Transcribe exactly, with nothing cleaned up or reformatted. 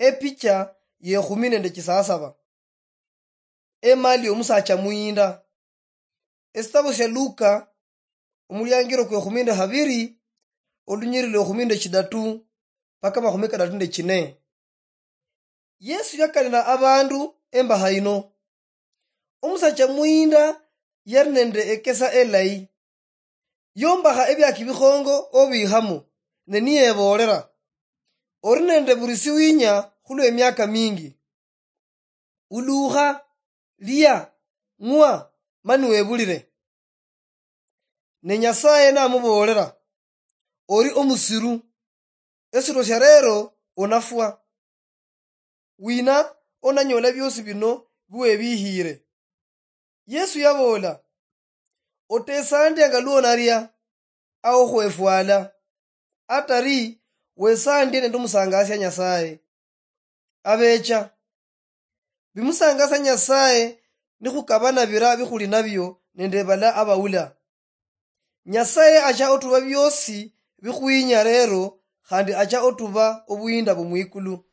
Epicha yekhumi nende chisasaba. Emali yomusacha muyinda. Esitabo sia Luka, omuliangiro kwekhumi nende habiri, olunyiriri lwekhumi nende chidatu, paka makhumi kadatu nende chine. Yesu yakanira abandu embaha yino. Omusacha muyinda yari nende ekesa elayi. Yombakha ebiaki bikhongo obikhamo, ne niyebolera, "Ori nende buri siwinya khulwe emiaka mingi. Ulukha, lia, ng'wa, mani webulire." Ne Nyasaye namubolera, "Ori omusiru, esiro sia rero onafwa. Wina onanyola biosi bino biwebihiire?" Yesu yabola, "Otesandia nga luonaria, ao khwefwala, atari wesandie nende omusangasia Nyasaye." Abecha, bimusangasia Nyasaye nikhukabana bira bikhuli nabio nende bala abaula. Nyasaye acha otuba biosi bikhwinya rero, khandi acha otuba obuyinda bumwikulu.